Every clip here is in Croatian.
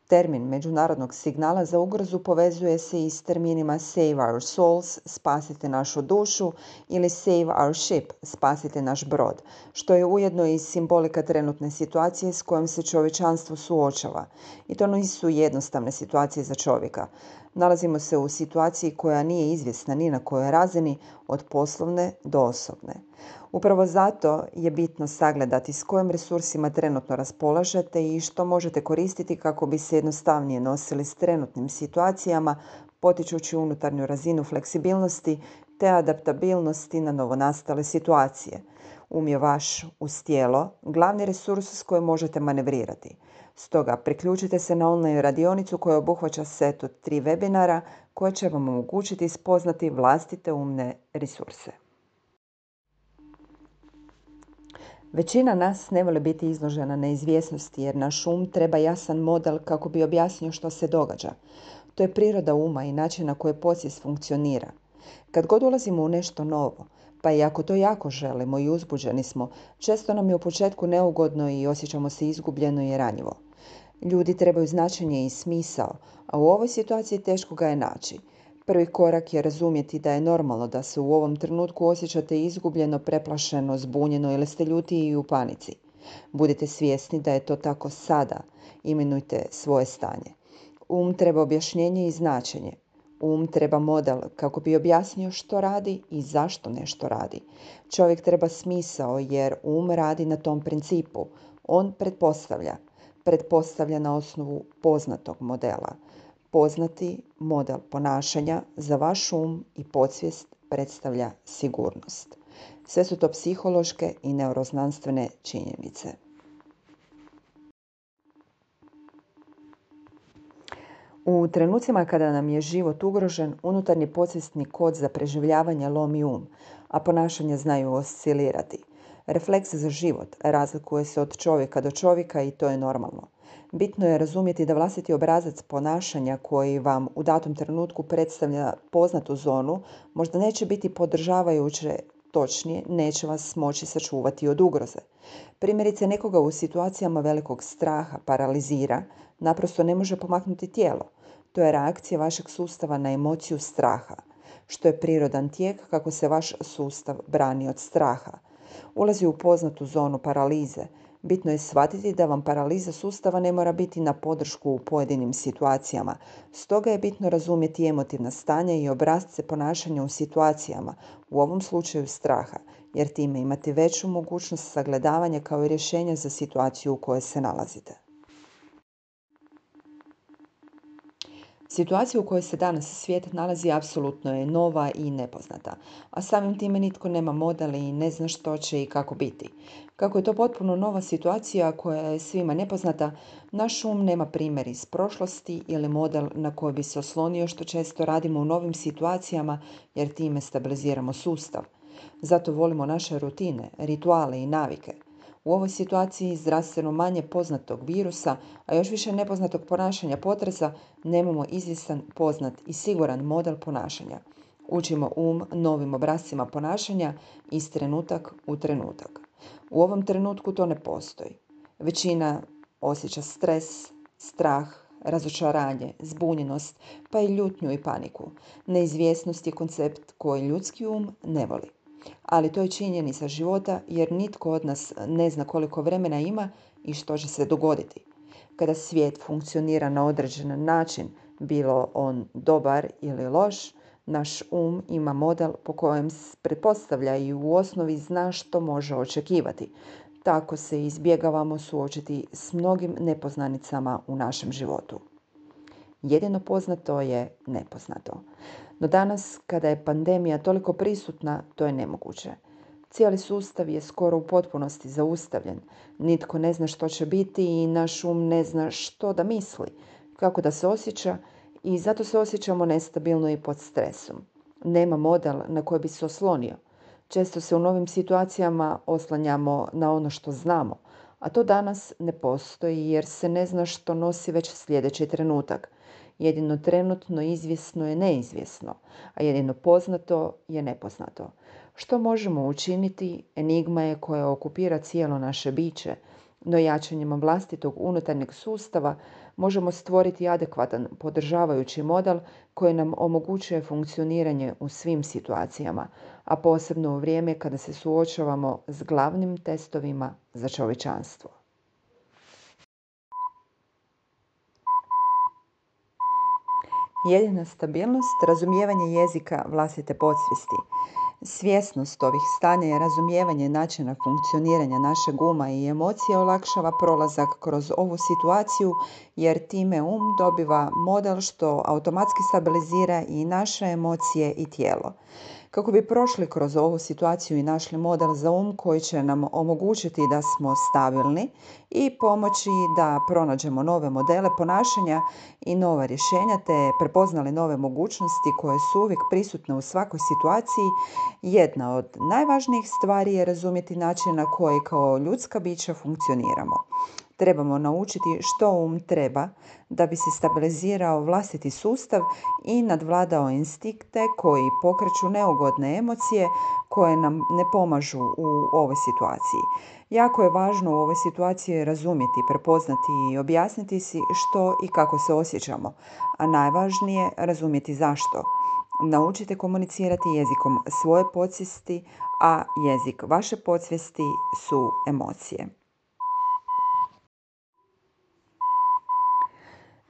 Termin međunarodnog signala za ugrozu povezuje se i s terminima Save our souls, spasite našu dušu, ili Save our ship, spasite naš brod, što je ujedno i simbolika trenutne situacije s kojom se čovječanstvo suočava. I to nisu jednostavne situacije za čovjeka. Nalazimo se u situaciji koja nije izvjesna ni na kojoj razini, od poslovne do osobne. Upravo zato je bitno sagledati s kojim resursima trenutno raspolažete i što možete koristiti kako bi se jednostavnije nosili s trenutnim situacijama, potičući unutarnju razinu fleksibilnosti te adaptabilnosti na novonastale situacije. Je vaš uz tijelo glavni resurs s kojim možete manevrirati. Stoga priključite se na online radionicu koja obuhvaća set od 3 webinara koje će vam omogućiti spoznati vlastite umne resurse. Većina nas ne voli biti izložena neizvjesnosti jer naš treba jasan model kako bi objasnio što se događa. To je priroda uma i način na koji podsvijest funkcionira. Kad god ulazimo u nešto novo, pa i ako to jako želimo i uzbuđeni smo, često nam je u početku neugodno i osjećamo se izgubljeno i ranjivo. Ljudi trebaju značenje i smisao, a u ovoj situaciji teško ga je naći. Prvi korak je razumjeti da je normalno da se u ovom trenutku osjećate izgubljeno, preplašeno, zbunjeno ili ste ljuti i u panici. Budite svjesni da je to tako sada. Imenujte svoje stanje. Treba objašnjenje i značenje. Treba model kako bi objasnio što radi i zašto nešto radi. Čovjek treba smisao jer radi na tom principu. On pretpostavlja na osnovu poznatog modela. Poznati model ponašanja za vaš i podsvijest predstavlja sigurnost. Sve su to psihološke i neuroznanstvene činjenice. U trenucima kada nam je život ugrožen, unutarnji podsvjesni kod za preživljavanje lomi a ponašanja znaju oscilirati. Refleks za život razlikuje se od čovjeka do čovjeka i to je normalno. Bitno je razumjeti da vlastiti obrazac ponašanja koji vam u datom trenutku predstavlja poznatu zonu možda neće biti podržavajuće, točnije neće vas moći sačuvati od ugroze. Primjerice, nekoga u situacijama velikog straha paralizira, naprosto ne može pomaknuti tijelo. To je reakcija vašeg sustava na emociju straha, što je prirodan tijek kako se vaš sustav brani od straha. Ulazi u poznatu zonu paralize. Bitno je shvatiti da vam paraliza sustava ne mora biti na podršku u pojedinim situacijama. Stoga je bitno razumjeti emotivna stanja i obrasce ponašanja u situacijama, u ovom slučaju straha, jer time imate veću mogućnost sagledavanja kao i rješenja za situaciju u kojoj se nalazite. Situacija u kojoj se danas svijet nalazi apsolutno je nova i nepoznata, a samim time nitko nema model i ne zna što će i kako biti. Kako je to potpuno nova situacija koja je svima nepoznata, naš nema primjer iz prošlosti ili model na koji bi se oslonio, što često radimo u novim situacijama jer time stabiliziramo sustav. Zato volimo naše rutine, rituale i navike. U ovoj situaciji zdravstveno manje poznatog virusa, a još više nepoznatog ponašanja potresa, nemamo izvjestan, poznat i siguran model ponašanja. Učimo novim obrascima ponašanja iz trenutak u trenutak. U ovom trenutku to ne postoji. Većina osjeća stres, strah, razočaranje, zbunjenost, pa i ljutnju i paniku. Neizvjesnost je koncept koji ljudski ne voli. Ali to je činjenica života jer nitko od nas ne zna koliko vremena ima i što će se dogoditi. Kada svijet funkcionira na određen način, bilo on dobar ili loš, naš ima model po kojem pretpostavlja i u osnovi zna što može očekivati. Tako se izbjegavamo suočiti s mnogim nepoznanicama u našem životu. Jedino poznato je nepoznato. No danas, kada je pandemija toliko prisutna, to je nemoguće. Cijeli sustav je skoro u potpunosti zaustavljen. Nitko ne zna što će biti i naš ne zna što da misli, kako da se osjeća i zato se osjećamo nestabilno i pod stresom. Nema model na koji bi se oslonio. Često se u novim situacijama oslanjamo na ono što znamo, a to danas ne postoji jer se ne zna što nosi već sljedeći trenutak. Jedino trenutno izvjesno je neizvjesno, a jedino poznato je nepoznato. Što možemo učiniti, enigma je koja okupira cijelo naše biće, No jačanjem vlastitog unutarnjeg sustava možemo stvoriti adekvatan podržavajući model koji nam omogućuje funkcioniranje u svim situacijama, a posebno u vrijeme kada se suočavamo s glavnim testovima za čovječanstvo. Jedina stabilnost, razumijevanje jezika vlastite podsvijesti. Svjesnost ovih stanja i razumijevanje načina funkcioniranja našeg uma i emocije olakšava prolazak kroz ovu situaciju jer time dobiva model što automatski stabilizira i naše emocije i tijelo. Kako bi prošli kroz ovu situaciju i našli model za koji će nam omogućiti da smo stabilni i pomoći da pronađemo nove modele ponašanja i nova rješenja te prepoznali nove mogućnosti koje su uvijek prisutne u svakoj situaciji, jedna od najvažnijih stvari je razumjeti način na koji kao ljudska bića funkcioniramo. Trebamo naučiti što treba da bi se stabilizirao vlastiti sustav i nadvladao instinkte koji pokreću neugodne emocije koje nam ne pomažu u ovoj situaciji. Jako je važno u ovoj situaciji razumjeti, prepoznati i objasniti si što i kako se osjećamo, a najvažnije razumjeti zašto. Naučite komunicirati jezikom svoje podsvijesti, a jezik vaše podsvijesti su emocije.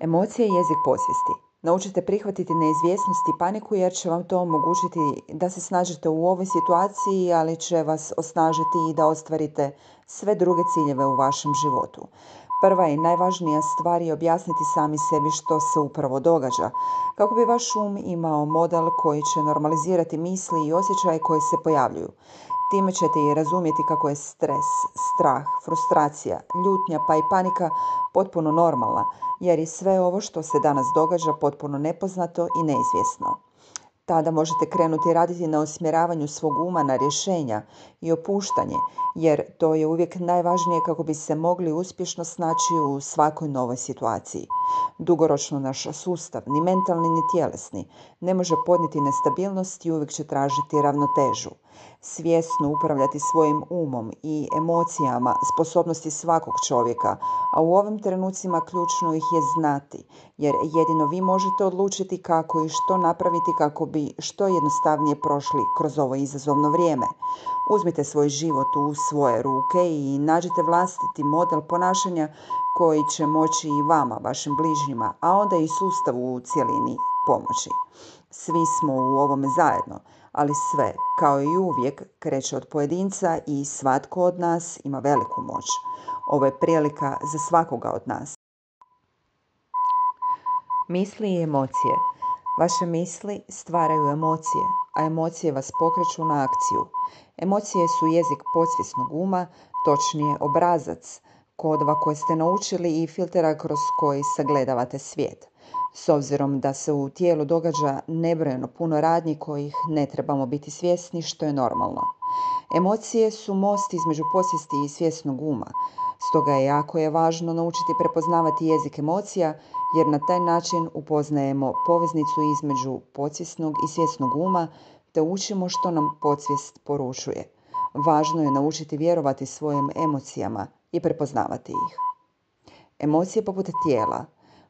Emocije i jezik podsvijesti. Naučite prihvatiti neizvjesnost i paniku jer će vam to omogućiti da se snažite u ovoj situaciji, ali će vas osnažiti i da ostvarite sve druge ciljeve u vašem životu. Prva i najvažnija stvar je objasniti sami sebi što se upravo događa, kako bi vaš imao model koji će normalizirati misli i osjećaje koji se pojavljuju. Time ćete i razumjeti kako je stres, strah, frustracija, ljutnja pa i panika potpuno normalna, jer je sve ovo što se danas događa potpuno nepoznato i neizvjesno. Tada možete krenuti raditi na usmjeravanju svog uma na rješenja i opuštanje, jer to je uvijek najvažnije kako bi se mogli uspješno snaći u svakoj novoj situaciji. Dugoročno naš sustav, ni mentalni ni tjelesni, ne može podnijeti nestabilnost i uvijek će tražiti ravnotežu. Svjesno upravljati svojim umom i emocijama sposobnosti svakog čovjeka, a u ovim trenucima ključno ih je znati, jer jedino vi možete odlučiti kako i što napraviti kako bi što jednostavnije prošli kroz ovo izazovno vrijeme. Uzmite svoj život u svoje ruke i nađite vlastiti model ponašanja koji će moći i vama, vašim bližnjima, a onda i sustavu u cjelini pomoći. Svi smo u ovome zajedno, ali sve, kao i uvijek, kreće od pojedinca i svatko od nas ima veliku moć. Ovo je prilika za svakoga od nas. Misli i emocije. Vaše misli stvaraju emocije, a emocije vas pokreću na akciju. Emocije su jezik podsvjesnog uma, točnije obrazac, kodova koje ste naučili i filtera kroz koji sagledavate svijet. S obzirom da se u tijelu događa nebrojeno puno radnji kojih ne trebamo biti svjesni, što je normalno. Emocije su most između podsvijesti i svjesnog uma. Stoga je važno naučiti prepoznavati jezik emocija, jer na taj način upoznajemo poveznicu između podsvjesnog i svjesnog uma, te učimo što nam podsvijest poručuje. Važno je naučiti vjerovati svojim emocijama i prepoznavati ih. Emocije poput tijela.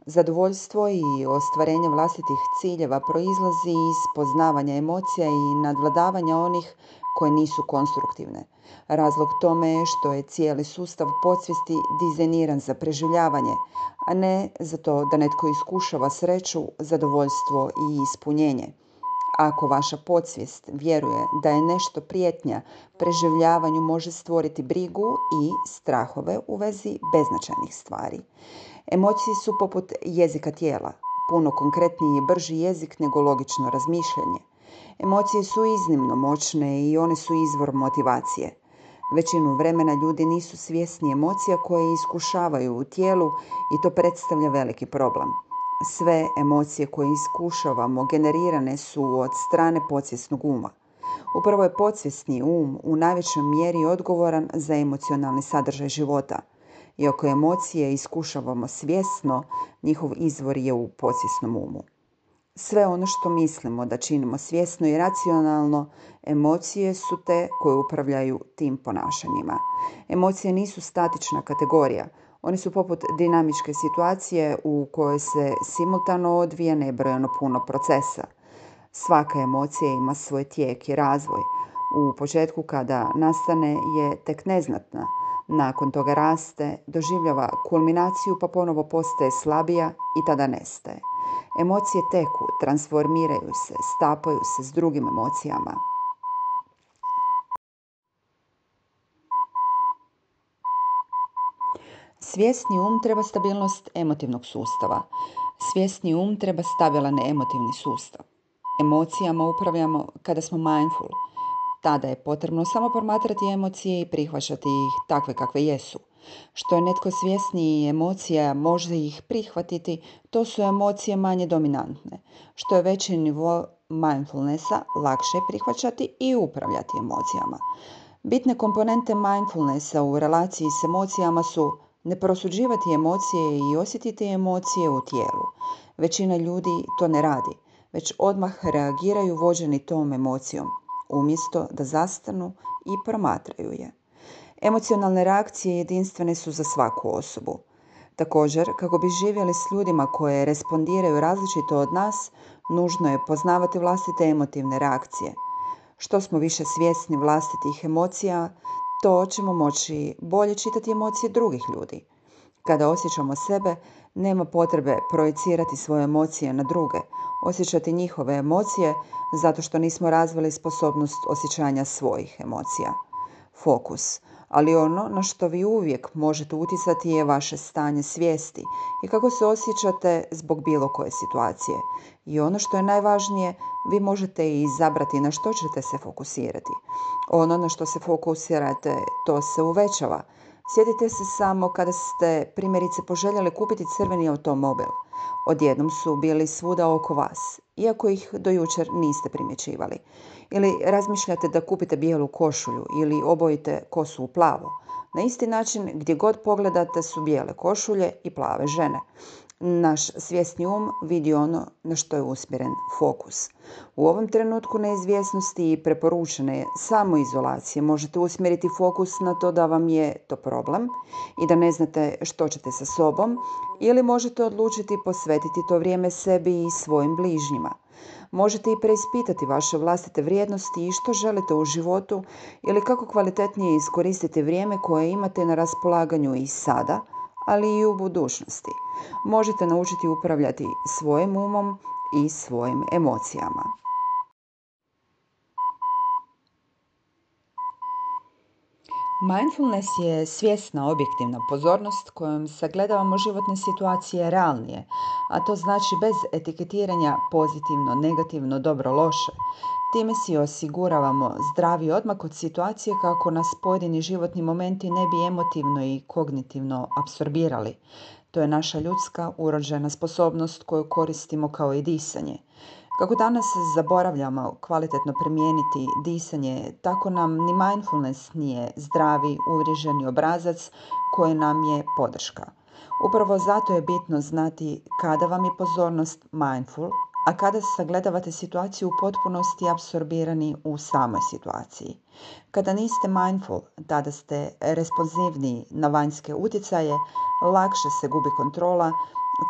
Zadovoljstvo i ostvarenje vlastitih ciljeva proizlazi iz poznavanja emocija i nadvladavanja onih koje nisu konstruktivne. Razlog tome je što je cijeli sustav podsvijesti dizajniran za preživljavanje, a ne za to da netko iskušava sreću, zadovoljstvo i ispunjenje. Ako vaša podsvijest vjeruje da je nešto prijetnja, preživljavanju može stvoriti brigu i strahove u vezi beznačajnih stvari. Emocije su poput jezika tijela, puno konkretniji i brži jezik nego logično razmišljanje. Emocije su iznimno moćne i one su izvor motivacije. Većinu vremena ljudi nisu svjesni emocija koje iskušavaju u tijelu i to predstavlja veliki problem. Sve emocije koje iskušavamo generirane su od strane podsvjesnog uma. Upravo je podsvjesni u najvećoj mjeri odgovoran za emocionalni sadržaj života. Iako emocije iskušavamo svjesno, njihov izvor je u podsvjesnom umu. Sve ono što mislimo da činimo svjesno i racionalno, emocije su te koje upravljaju tim ponašanjima. Emocije nisu statična kategorija. One su poput dinamičke situacije u kojoj se simultano odvija nebrojeno puno procesa. Svaka emocija ima svoj tijek i razvoj. U početku kada nastane je tek neznatna. Nakon toga raste, doživljava kulminaciju pa ponovo postaje slabija i tada nestaje. Emocije teku, transformiraju se, stapaju se s drugim emocijama. Svjesni treba stabilnost emotivnog sustava. Svjesni treba stabilan emotivni sustav. Emocijama upravljamo kada smo mindful. Tada je potrebno samo promatrati emocije i prihvaćati ih takve kakve jesu. Što je netko svjesniji emocija može ih prihvatiti, to su emocije manje dominantne. Što je veći nivo mindfulnessa, lakše je prihvaćati i upravljati emocijama. Bitne komponente mindfulnessa u relaciji s emocijama su ne prosuđivati emocije i osjetiti emocije u tijelu. Većina ljudi to ne radi, već odmah reagiraju vođeni tom emocijom, umjesto da zastanu i promatraju je. Emocionalne reakcije jedinstvene su za svaku osobu. Također, kako bi živjeli s ljudima koje respondiraju različito od nas, nužno je poznavati vlastite emotivne reakcije. Što smo više svjesni vlastitih emocija, to ćemo moći bolje čitati emocije drugih ljudi. Kada osjećamo sebe, nema potrebe projicirati svoje emocije na druge, osjećati njihove emocije zato što nismo razvili sposobnost osjećanja svojih emocija. Fokus. Ali ono na što vi uvijek možete utjecati je vaše stanje svijesti i kako se osjećate zbog bilo koje situacije. I ono što je najvažnije, vi možete i izabrati na što ćete se fokusirati. Ono na što se fokusirate, to se uvećava. Sjetite se samo kada ste primjerice poželjeli kupiti crveni automobil. Odjednom su bili svuda oko vas, iako ih do jučer niste primjećivali. Ili razmišljate da kupite bijelu košulju ili obojite kosu u plavo. Na isti način gdje god pogledate su bijele košulje i plave žene. Naš svjesni vidi ono na što je usmjeren fokus. U ovom trenutku neizvjesnosti i preporučene samoizolacije možete usmjeriti fokus na to da vam je to problem i da ne znate što ćete sa sobom, ili možete odlučiti posvetiti to vrijeme sebi i svojim bližnjima. Možete i preispitati vaše vlastite vrijednosti i što želite u životu ili kako kvalitetnije iskoristiti vrijeme koje imate na raspolaganju i sada, ali i u budućnosti. Možete naučiti upravljati svojim umom i svojim emocijama. Mindfulness je svjesna objektivna pozornost kojom sagledavamo životne situacije realnije, a to znači bez etiketiranja pozitivno, negativno, dobro, loše. Time si osiguravamo zdravi odmak od situacije kako nas pojedini životni momenti ne bi emotivno i kognitivno apsorbirali. To je naša ljudska urođena sposobnost koju koristimo kao i disanje. Kako danas zaboravljamo kvalitetno primijeniti disanje, tako nam ni mindfulness nije zdravi, uvriježeni obrazac koji nam je podrška. Upravo zato je bitno znati kada vam je pozornost mindful, a kada sagledavate situaciju u potpunosti apsorbirani u samoj situaciji. Kada niste mindful, tada ste responsivniji na vanjske utjecaje, lakše se gubi kontrola,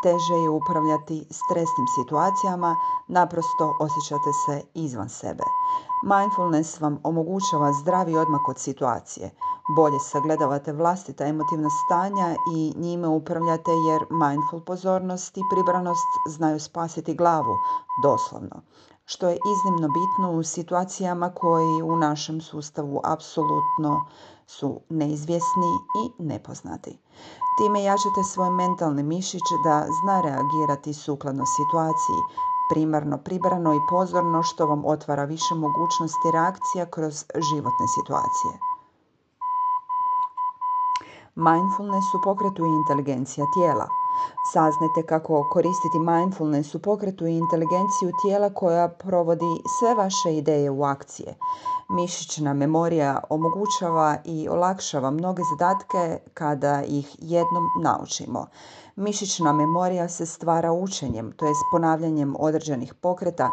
teže je upravljati stresnim situacijama, naprosto osjećate se izvan sebe. Mindfulness vam omogućava zdravi odmak od situacije. Bolje sagledavate vlastita emotivna stanja i njime upravljate jer mindful pozornost i pribranost znaju spasiti glavu, doslovno. Što je iznimno bitno u situacijama koji u našem sustavu apsolutno su neizvjesni i nepoznati. Time jačate svoj mentalni mišić da zna reagirati sukladno situaciji, primarno, pribrano i pozorno, što vam otvara više mogućnosti reakcija kroz životne situacije. Mindfulness u pokretu i inteligencija tijela. Saznajte kako koristiti mindfulness u pokretu i inteligenciju tijela koja provodi sve vaše ideje u akcije. Mišićna memorija omogućava i olakšava mnoge zadatke kada ih jednom naučimo. Mišićna memorija se stvara učenjem, to jest ponavljanjem određenih pokreta.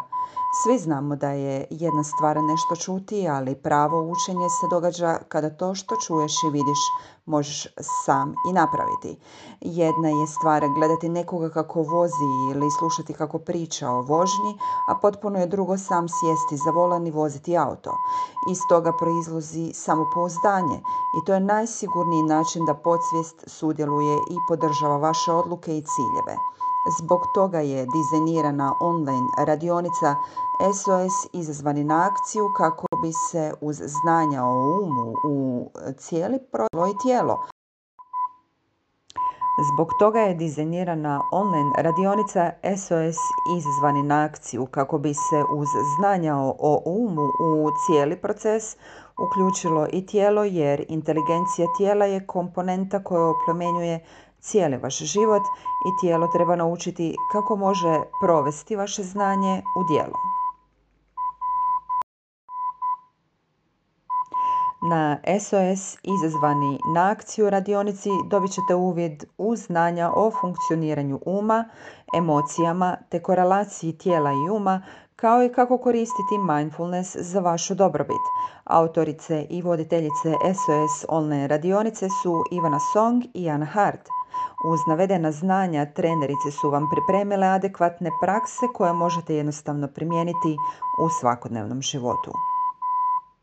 Svi znamo da je jedna stvar nešto čuti, ali pravo učenje se događa kada to što čuješ i vidiš možeš sam i napraviti. Jedna je stvar gledati nekoga kako vozi ili slušati kako priča o vožnji, a potpuno je drugo sam sjesti za volan i voziti auto. Iz toga proizlazi samopouzdanje i to je najsigurniji način da podsvijest sudjeluje i podržava vaše odluke i ciljeve. Zbog toga je dizajnirana online radionica SOS izazvani na akciju kako bi se uz znanja o umu u cijeli tijelo i tijelo. Zbog toga je dizajnirana online radionica SOS izazvani na akciju kako bi se uz znanja o umu u cijeli proces uključilo i tijelo, jer inteligencija tijela je komponenta koja oplemenjuje cijeli vaš život i tijelo treba naučiti kako može provesti vaše znanje u djelo. Na SOS izazvani na akciju radionici dobit ćete uvid u znanja o funkcioniranju uma, emocijama te korelaciji tijela i uma, kao i kako koristiti mindfulness za vašu dobrobit. Autorice i voditeljice SOS online radionice su Ivana Song i Anna Hart. Uz navedena znanja trenerice su vam pripremile adekvatne prakse koje možete jednostavno primijeniti u svakodnevnom životu.